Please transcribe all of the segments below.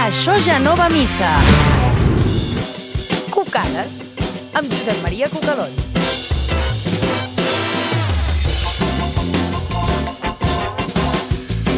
Això ja no va a missa. Cucades, amb Josep Maria Cucadón.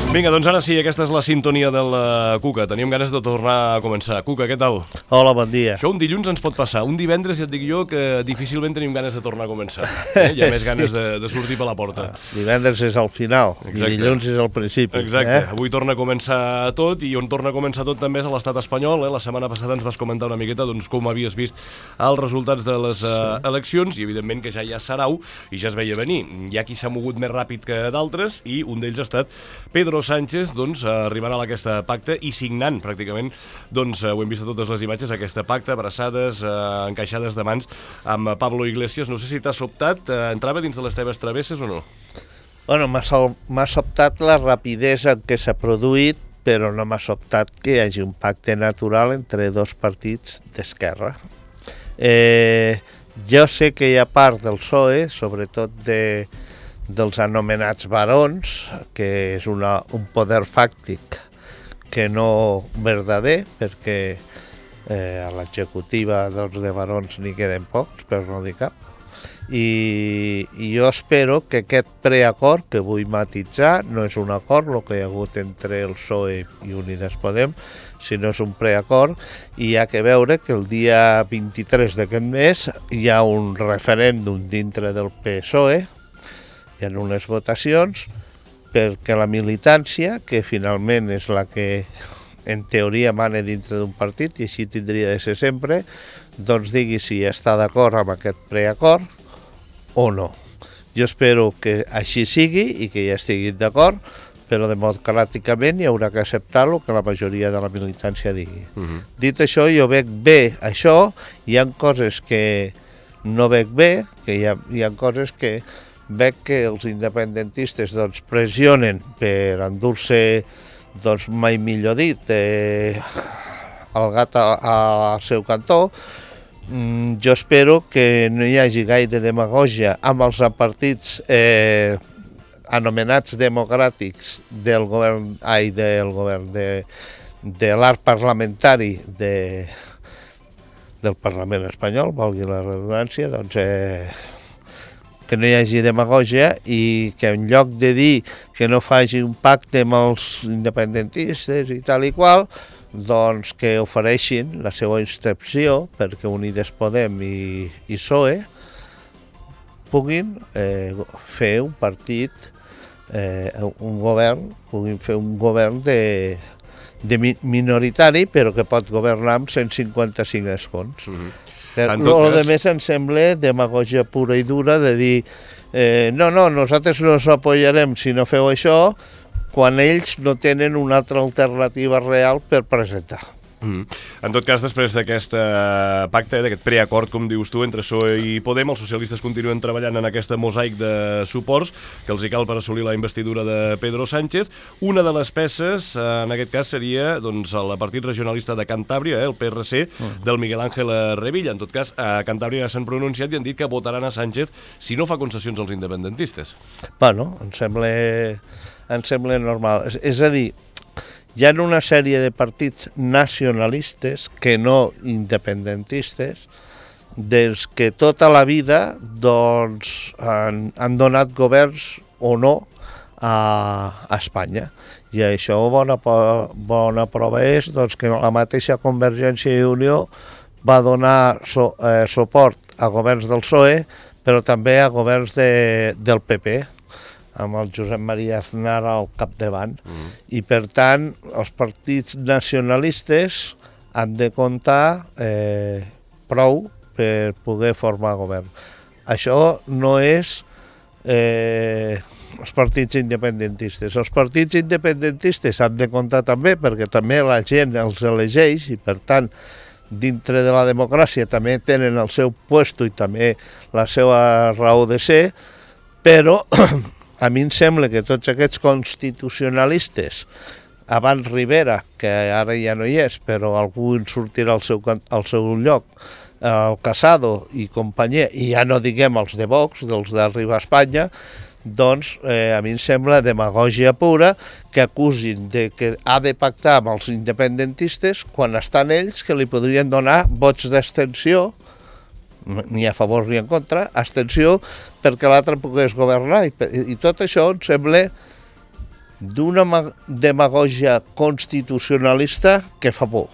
Vinga, doncs ara sí, aquesta és la sintonia de la Cuca. Teníem ganes de tornar a començar. Cuca, què tal? Hola, bon dia. Això un dilluns ens pot passar. Un divendres ja et dic jo que difícilment tenim ganes de tornar a començar. Hi ha més ganes de sortir per la porta. Divendres és al final. Exacte. I dilluns és al principi. Exacte. Avui torna a començar tot, i on torna a començar tot també és a l'estat espanyol. La setmana passada ens vas comentar una miqueta doncs, com havies vist els resultats de les eleccions, i evidentment que ja hi ha sarau i ja es veia venir. Hi ha qui s'ha mogut més ràpid que d'altres, i un d'ells ha estat Pedro Sánchez, doncs, arribant a aquest pacte i signant pràcticament, doncs, ho hem vist a totes les imatges, aquest pacte, abraçades, encaixades de mans amb Pablo Iglesias. No sé si t'ha sobtat, entrava dins de les teves travesses o no? Bueno, m'ha sobtat la rapidesa en què s'ha produït, però no m'ha sobtat que hi hagi un pacte natural entre dos partits d'esquerra. Jo sé que hi ha part del PSOE, sobretot dels anomenats barons, que és un poder fàctic que no verdader, perquè a l'executiva de barons n'hi queden pocs, per no dir cap. I jo espero que aquest preacord, que vull matitzar, no és un acord, el que hi ha hagut entre el PSOE i Unides Podem, sinó és un preacord, i hi ha que veure que el dia 23 d'aquest mes hi ha un referèndum dintre del PSOE, hi ha unes votacions perquè la militància, que finalment és la que en teoria mana dintre d'un partit, i així tindria de ser sempre, doncs digui si està d'acord amb aquest preacord o no. Jo espero que així sigui i que ja estiguin d'acord, però democràticament hi haurà que acceptar el que la majoria de la militància digui. Dit això, jo veig bé això, hi ha coses que no veig bé, que hi ha coses que veig que els independentistes doncs, pressionen per endur-se, doncs, mai millor dit, el gat al seu cantó. Jo espero que no hi hagi gaire demagògia amb els partits anomenats democràtics del govern, de l'arc parlamentari del Parlament espanyol, valgui la redundància, doncs que no hi hagi demagògia, i que en lloc de dir que no faci un pacte amb els independentistes i tal i qual, doncs que ofereixin la seva instrucció perquè Unides Podem i PSOE puguin fer un partit, un govern, puguin fer un govern minoritari, però que pot governar amb 155 escons. El més em sembla demagògia pura i dura de dir no, nosaltres no us apoyarem si no feu això, quan ells no tenen una altra alternativa real per presentar. En tot cas, després d'aquest pacte, d'aquest preacord, com dius tu, entre PSOE i Podem, els socialistes continuen treballant en aquest mosaic de suports que els hi cal per assolir la investidura de Pedro Sánchez. Una de les peces, en aquest cas, seria doncs, el partit regionalista de Cantàbria, el PRC, del Miguel Ángel Revilla. En tot cas, a Cantàbria ja s'han pronunciat i han dit que votaran a Sánchez si no fa concessions als independentistes. Bueno, em sembla normal. És a dir, hi ha una sèrie de partits nacionalistes, que no independentistes, dels que tota la vida doncs, han donat governs o no a Espanya. I això bona prova és doncs, que la mateixa Convergència i Unió va donar suport a governs del PSOE, però també a governs del PP, amb el Josep Maria Aznar al capdavant. I, per tant, els partits nacionalistes han de comptar prou per poder formar govern. Això no és els partits independentistes. Els partits independentistes han de comptar també, perquè també la gent els elegeix i, per tant, dintre de la democràcia també tenen el seu puesto i també la seva raó de ser, però a mi em sembla que tots aquests constitucionalistes, abans Rivera, que ara ja no hi és, però algú en sortirà al seu lloc, el Casado i companyia, i ja no diguem els de Vox, dels d'Arriba a Espanya, doncs a mi em sembla demagògia pura que acusin de que ha de pactar amb els independentistes quan estan ells que li podrien donar vots d'abstenció, ni a favor ni en contra, abstenció perquè l'altre pogués governar. I tot això em sembla d'una demagògia constitucionalista que fa por.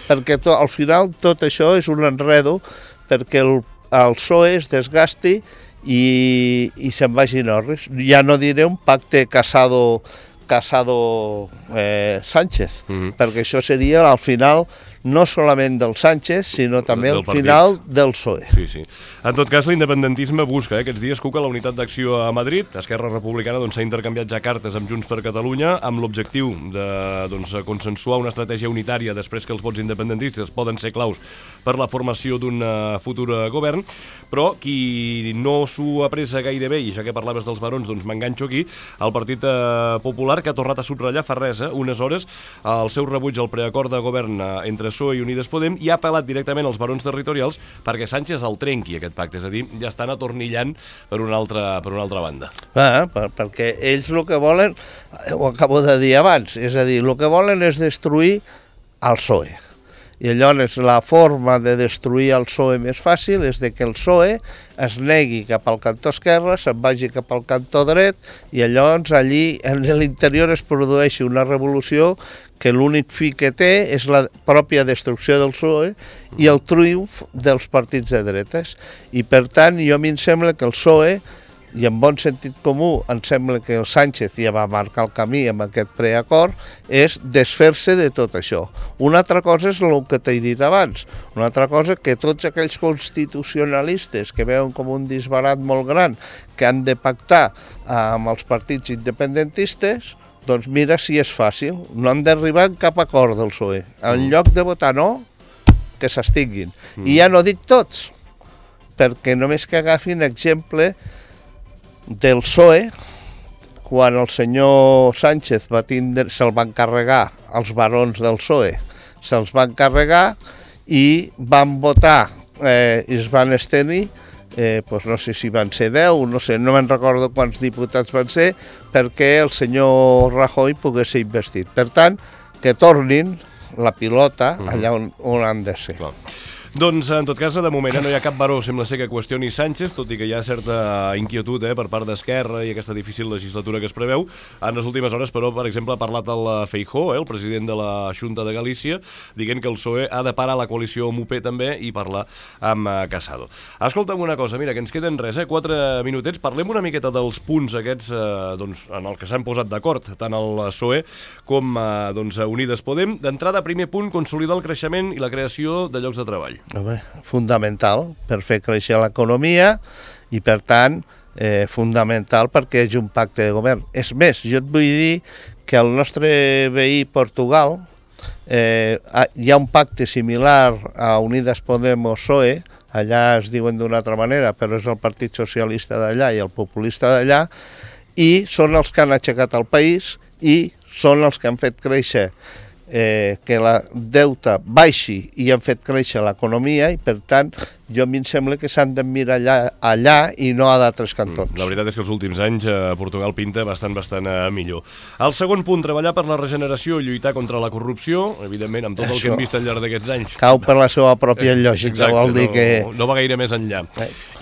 Perquè al final tot això és un enredo perquè el PSOE es desgasti i se'n vagi en orris. Ja no diré un pacte Casado-Sánchez, perquè això seria al final no solament del Sánchez, sinó també al final del PSOE. Sí, sí. En tot cas, l'independentisme busca aquests dies, Cuca, la unitat d'acció a Madrid. Esquerra Republicana s'ha intercanviat ja cartes amb Junts per Catalunya amb l'objectiu de consensuar una estratègia unitària després que els vots independentistes poden ser claus per la formació d'un futur govern, però qui no s'ho apressa gaire bé, i ja que parlaves dels barons, doncs m'enganxo aquí, el Partit Popular, que ha tornat a subratllar fa res, unes hores, el seu rebuig al preacord de govern entre PSOE i Unides Podem, i ha apel·lat directament als barons territorials perquè Sánchez el trenqui, aquest pacte. És a dir, ja estan atornillant per una altra banda. Perquè ells el que volen, ho acabo de dir abans, és a dir, el que volen és destruir el PSOE. I llavors la forma de destruir el PSOE més fàcil és de que el PSOE es negui cap al cantó esquerre, se'n vagi cap al cantó dret, i llavors allí en l'interior es produeixi una revolució que l'únic fi que té és la pròpia destrucció del PSOE i el triomf dels partits de dretes. I per tant, a mi em sembla que el PSOE, i en bon sentit comú, em sembla que el Sánchez ja va marcar el camí amb aquest preacord, és desfer-se de tot això. Una altra cosa és el que t'he dit abans. Una altra cosa que tots aquells constitucionalistes que veuen com un disbarat molt gran que han de pactar amb els partits independentistes, doncs mira si és fàcil. No han d'arribar en cap acord del PSOE. En lloc de votar no, que s'extinguin. I ja no dic tots, perquè només que agafin exemple del PSOE, quan el senyor Sánchez se'l van carregar, els barons del PSOE, se'ls van carregar i van votar i es van estenir, no sé si van ser 10, no sé, no me'n recordo quants diputats van ser, perquè el senyor Rajoy pogués ser investit. Per tant, que tornin la pilota allà on han de ser. Clar. Doncs, en tot cas, de moment no hi ha cap baró, sembla ser que qüestioni Sánchez, tot i que hi ha certa inquietud per part d'Esquerra i aquesta difícil legislatura que es preveu. En les últimes hores, però, per exemple, ha parlat el Feijóo, el president de la Xunta de Galícia, dient que el PSOE ha de parar la coalició amb UP també i parlar amb Casado. Escolta'm una cosa, mira, que ens queden 4 minutets. Parlem una miqueta dels punts aquests en el que s'han posat d'acord, tant el PSOE com Unides Podem. D'entrada, primer punt, consolidar el creixement i la creació de llocs de treball. Fundamental per fer créixer l'economia i, per tant, fundamental perquè hi hagi un pacte de govern. És més, jo et vull dir que el nostre veí Portugal hi ha un pacte similar a Unides Podem o PSOE, allà es diuen d'una altra manera, però és el Partit Socialista d'allà i el populista d'allà, i són els que han aixecat el país i són els que han fet créixer que la deute baixi i han fet créixer l'economia i, per tant, a mi em sembla que s'han de mirar allà i no a d'altres cantons. La veritat és que els últims anys Portugal pinta bastant millor. El segon punt, treballar per la regeneració i lluitar contra la corrupció, evidentment, amb tot el que hem vist al llarg d'aquests anys. Cau per la seva pròpia lògica, exacte, vol dir que... No va gaire més enllà.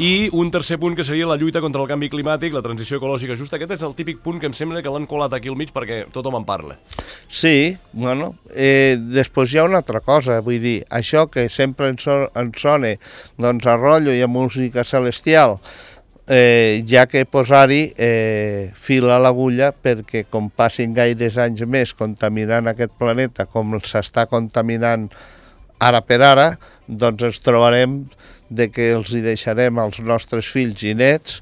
I un tercer punt que seria la lluita contra el canvi climàtic, la transició ecològica justa. Aquest és el típic punt que em sembla que l'han colat aquí al mig perquè tothom en parla. Sí, bueno, després hi ha una altra cosa, vull dir, això que sempre ens sona doncs a rotllo i a música celestial, ja que posar-hi fil a l'agulla perquè com passin gaires anys més contaminant aquest planeta com s'està contaminant ara per ara, doncs ens trobarem de que els hi deixarem als nostres fills i nets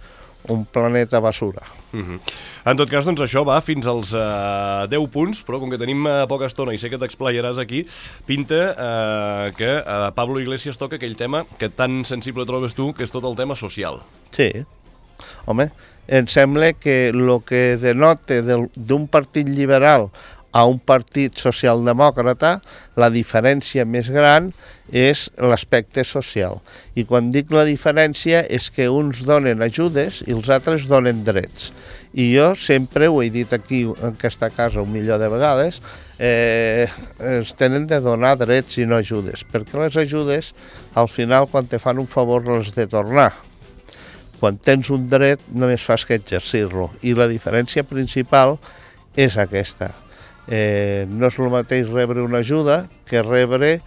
un planeta basura. En tot cas, doncs això va fins als 10 punts, però com que tenim poca estona i sé que t'explayaràs aquí, pinta que Pablo Iglesias toca aquell tema que tan sensible trobes tu, que és tot el tema social. Sí, home, em sembla que el que denota d'un partit liberal a un partit socialdemòcrata, la diferència més gran és l'aspecte social. I quan dic la diferència és que uns donen ajudes i els altres donen drets. I jo sempre ho he dit aquí en aquesta casa 1.000.000 de vegades, es tenen de donar drets i no ajudes, perquè les ajudes al final quan te fan un favor les de tornar. Quan tens un dret només fas que exercir-lo i la diferència principal és aquesta. No és el mateix rebre una ajuda que rebre,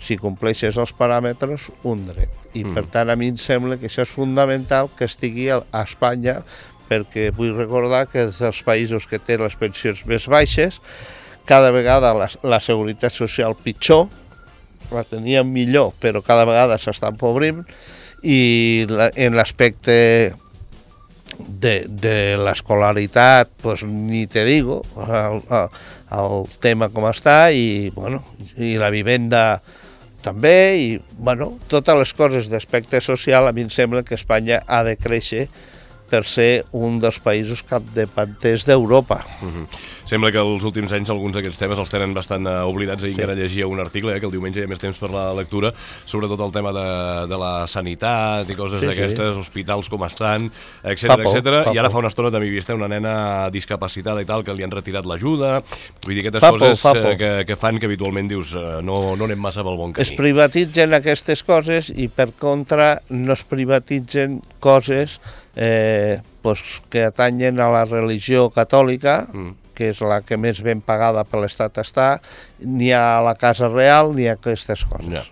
si compleixes els paràmetres, un dret. I per tant a mi em sembla que això és fundamental que estigui a Espanya, perquè vull recordar que és dels països que té les pensions més baixes, cada vegada la seguretat social pitjor, la teníem millor però cada vegada s'està empobrint, i en l'aspecte de l'escolaritat, pues ni te digo, el tema com està, i la vivenda també, i totes les coses d'aspecte social, a mi em sembla que Espanya ha de créixer per ser un dels països capdavanters d'Europa. Sembla que els últims anys alguns d'aquests temes els tenen bastant oblidats. Ahir encara llegia un article, que el diumenge hi ha més temps per la lectura, sobretot el tema de la sanitat i coses d'aquestes, hospitals com estan, etcètera. I ara fa una estona també hi havia una nena discapacitada i tal, que li han retirat l'ajuda. Vull dir, aquestes coses que fan que habitualment dius no anem massa pel bon camí. Es privatitzen aquestes coses i per contra no es privatitzen coses que atanyen a la religió catòlica, que és la que més ben pagada per l'Estat està, ni a la Casa Real ni a aquestes coses.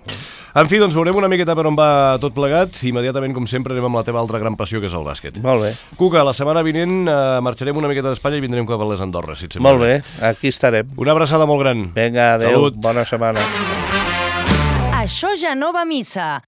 En fi, doncs veurem una miqueta per on va tot plegat. Immediatament, com sempre, anem amb la teva altra gran passió, que és el bàsquet. Molt bé. Cuca, la setmana vinent marxarem una miqueta d'Espanya i vindrem cap a les Andorres, si et sembla. Molt bé, aquí estarem. Una abraçada molt gran. Vinga, adéu, Salut. bona setmana. Això ja no va a missa.